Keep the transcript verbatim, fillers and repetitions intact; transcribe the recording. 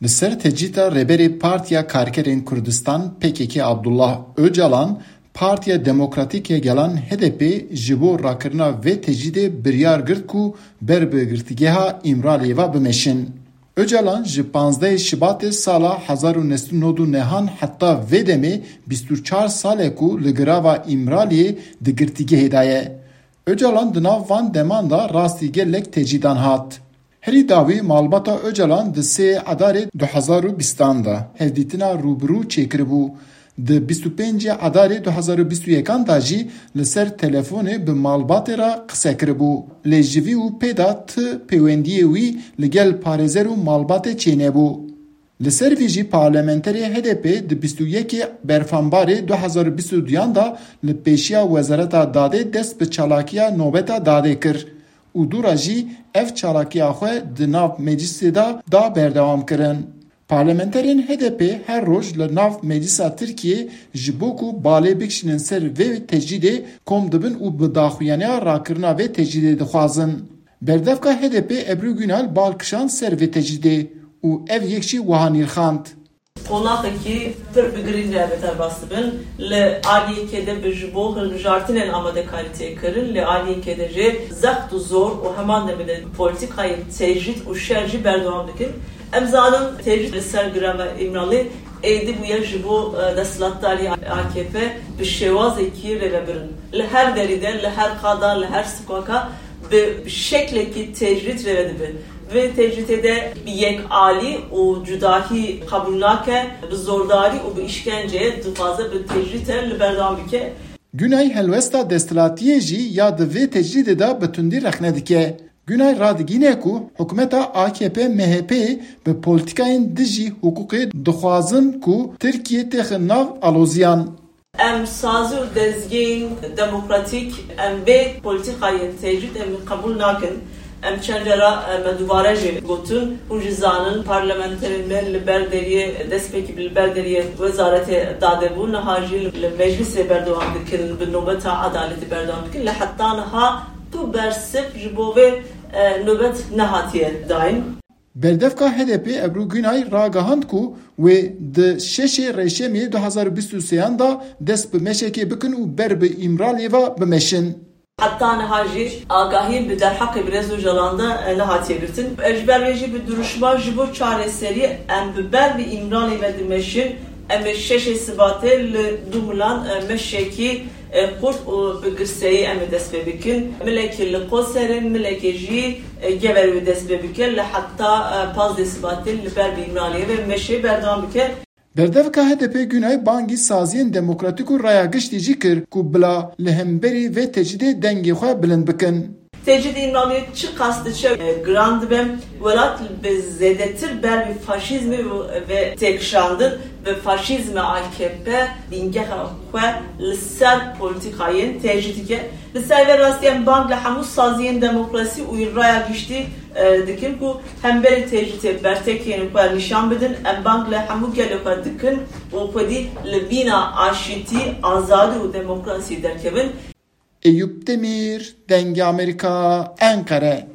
Li ser tecrîta Rêberê Partiya Karkerên Kurdistan, P K K, Abdullah Ocalan, Partiya Demokratîk ya Gelan, H D P, ji bo rakirina vê tecrîdê biryar girt ku ber bi girtîgeha Îmraliyê ve bimeşin. Ocalan ji panzdehê Şibatê sala hezar û neh sed û nod û nehan heta vê demê bîst û çar sal e ku li girava Îmraliyê di girtîgehê de ye. Ocalan di nav van deman de rastî gelek tecrîdan hat. Herî dawî malbata Ocalan di sê Edarê du hezar û bîstan de hevdîtina rûbirû çêkiribû. Di bîst û pêncê Edarê du hezar û bîst û yekan de jî li ser telefonê bi malbatê re qise kiribû. Lê ji vî û pê de ti pêwendiyê wî li gel parêzer û malbatê çênebû. Li ser vî jî parlamenterê H D P di bîst û yekê Berfanbarê du hezar û bîst û duyan de li pêşiya Wezareta Dadê dest bi çalakiya nobeta dadê kir û dû re jî ev çalakiya xwe di nav meclisê de da berdewam kirin. Parlamenterên H D P her roj li nav meclisa Tirkiyê ji bo ku balê bikişînin ser vê tecrîdê kom dibin û bi daxuyaniya rakirina vê tecrîdê dixwazin. Berdevka H D P Ebru Günay bal kişand ser vê tecrîdê û ev yek jî wiha nirxand. Qonaxekî pir bi girîng re bederbas dibin. Li aliyekê de bi ji bo hilbijartinên amadekarî tê kirin, li aliyekê de jî zext û zor û heman demê de polîtîkayên tecrîd û şer jî berdewam dikin. Em zanin tecrîd li ser girava Îmralî êdî bûye ji bo, e, desthilatdarî A K P bi şêwazekî rêvebirin. Li her derî de, li her qada, li her sokaka bi şeklekî tecrîd rêve dibe. Vê tecrîdê de bi yekalî û cudahî qebûl nake, bi zordarî û bi îşkence dixwaze bi tecrîdê li berdewam bike. Günay helwesta desthilatiyê jî ya di vê tecrîdê de bi tundî rexne dike. Günay radigîne ku hikûmeta A K P M H P bi polîtîkayên dijî hiqûqê dixwazin ku Tirkiye têxe nav aloziyan. Em sazî û dezgehên demokratîk, em vê polîtîkayên tecrîd em qebûl nakin. Em çend cara, e, me dubare jî gotin, hûn jî zanin, parlamenterên me li ber deriyê, destpêkî li ber deriyê Wezaretê Dadê bû, niha jî li, li meclisê berdewam dikin, bi nobeta edaletê berdewam dikin. Lê heta niha tu bersiv ji bo vê, e, nobet nehatiye dayîn. Berdevka H D P Ebru Günay ragihand ku wê di şeşê Reşemê du hezar û bîst û sêyan de dest bi meşekê bikin û ber bi Îmraliyê ve bimeşin. Heta niha jî agahî bi derheqê birêz Ocalan de, e, nehatiye girtin. E, ji ber vê jî bi duruşma ji bo çareseriyê em bi ber bi Îmraliyê ve dimeşin. Em ê şeşê Sibatê li Dûmilan, e, meşekî e, xurt û bi girseyî em ê dest pê bikin. Milekî li Qoserê, milekê jî, e, Geverê wê dest pê bike. Li heta, e, pazdeh Sibatê li ber bi Îmraliyê ve meşê berdewam bike. Berdevka H D P Günay bangî saziyên demokratîk û raya giştî jî kir ku bila li hemberî vê tecrîdê dengê xwe bilind bikin. Tecrîd Îmraliyê çiqas diçe, e, giran dibe, welat bi zêdetir ber bi faşîzmê ve têkişandin, bi faşîzmê A K P bîngeha xwe li ser polîtîkayên tecrîd dike. Li ser vê rastî em bang li hemû saziyên demokrasî û raya giştî, e, dikin ku hemberî tecrîdê bertekên xwe nîşan bidin. Em bang li hemû gelê xwe dikin û xwedî li vîna aşîtî, azadî û demokrasî derkevin. Eyüp Demir, Dengê Amerîka, Enqere.